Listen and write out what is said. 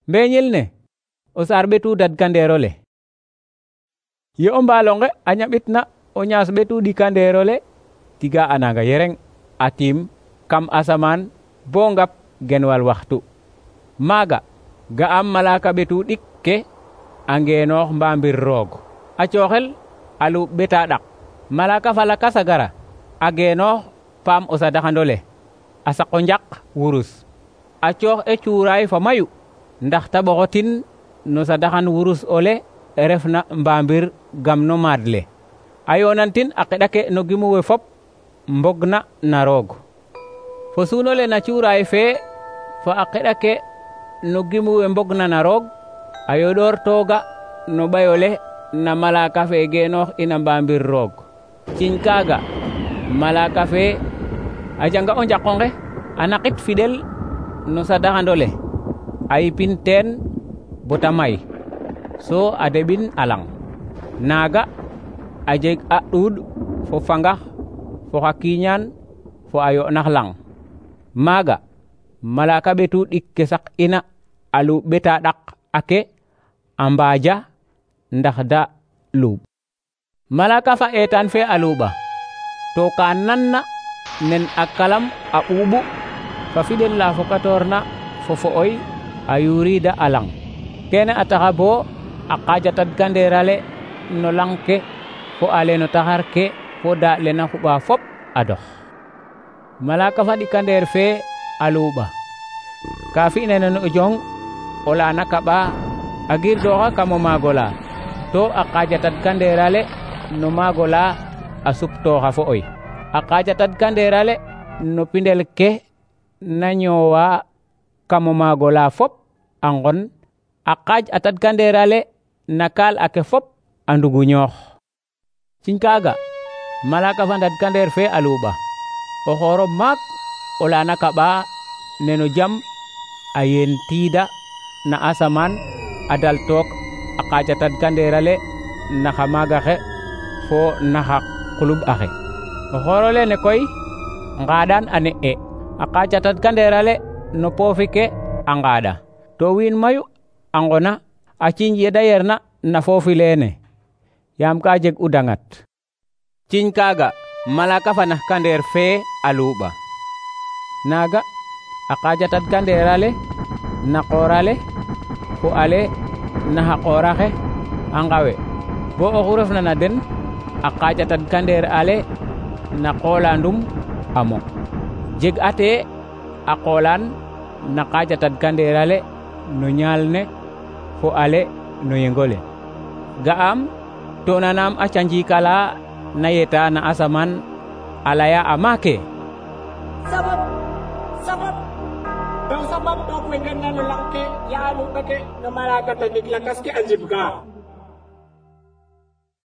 Mbeñel ne o saar ɓetu dadkandeerole. Ye o mbalonge a ñaɓitna o ñaas ɓetu ɗikandeerole, tiga a nanga yereng a tiim kam asamaan bo ngap genwal waxtu. Maaga ga'am malaka ɓetu ɗik ke a ngeenoox mbamir roog, a cooxel a luuɓ ɓeta ɗak. Malaka fa lakas a gara a geenoox paam o sadaxandole, a saqo njaq wurus, a coox cuuraay fa mayu ndax ta ɓoxotin no sadaxan wurus ole refna mbamir gam no maad le. A yoonantin a qeɗa ke no gimu we fop mbogna na roog. Fo suunole na cuuraay fe fo a qeɗa ke no gimu we mbogna na roog, a yoɗoor tooga no ɓayole na malaka fe geenoox ina mbamir roog. Ciñ kaaga malaka fe a janga o njaqonge a naqit fiɗel no sadaxandole, a yipin teen bota may, so a deɓin a lang. Naaga a jeg a ɗuuɗ fo fangax fo xa kiiñaan fo a yo'nax lang. Maaga malaka ɓetu ɗik ke saq ina a luuɓ ɓeta ɗak ake a mbaaja ndax da luuɓ. Malaka fa eetaan fe a luuɓa, to ka nanna nen a kalam a ɓuuɓu fa fiɗel la fokatoorna fo fo'oy a yuuriida a lang. Kene a taxa bo a qaaja tadkandeerale no lang ke fo ale no taxar ke fo daaɗ le na xuɓa fop a dox. Malaka fa ɗikandeer fe a luuɓa, ka fi'na nen o jong ola na kaɓa a girdooxa kam o maag ola, to a qaaja tadkandeerale no maag ola a suptooxa fo'oy. A qaaja tadkandeerale no pindel ke na ñoowa kam o maag ola fop a ngon, a qaaj a tadkandeerale na kaal ake fop a nduguñoox. Ciñ kaaga malaka fa ndadkandeer fe a luuɓa, o xooro maak ola na kaɓa neno jam a yeen tiida na asamaan a dal took a qaaja tadkandeerale naxa maaga xe fo naxa quluɓ axe. O xooro lene koy ngaɗaan a ne'e, a qaaja tadkandeerale no poofi ke a ngaɗa, to wiin mayu a ngona a ciiñ ye da yerna na foofi leene, yaam ka jeg u dangat. Ciñ kaaga malaka fa naxkandeer fe a luuɓa. Naaga a qaaja tadkandeerale na qoorale fo ale naxa qooraxe a ngawe, bo oxu refna na den a qaaja tadkandeer ale na qoolandum a mo. Jeg ate a qoolaan na qaaja tadkandeerale no ñaal ne fo ale no yengole. Ga'am to nanam a canjikala na yeta na asamaan a laya a maake. Sabab to kwengen na no lang ke ya luɓa ke no malaka tadik lakas ke a njib ga.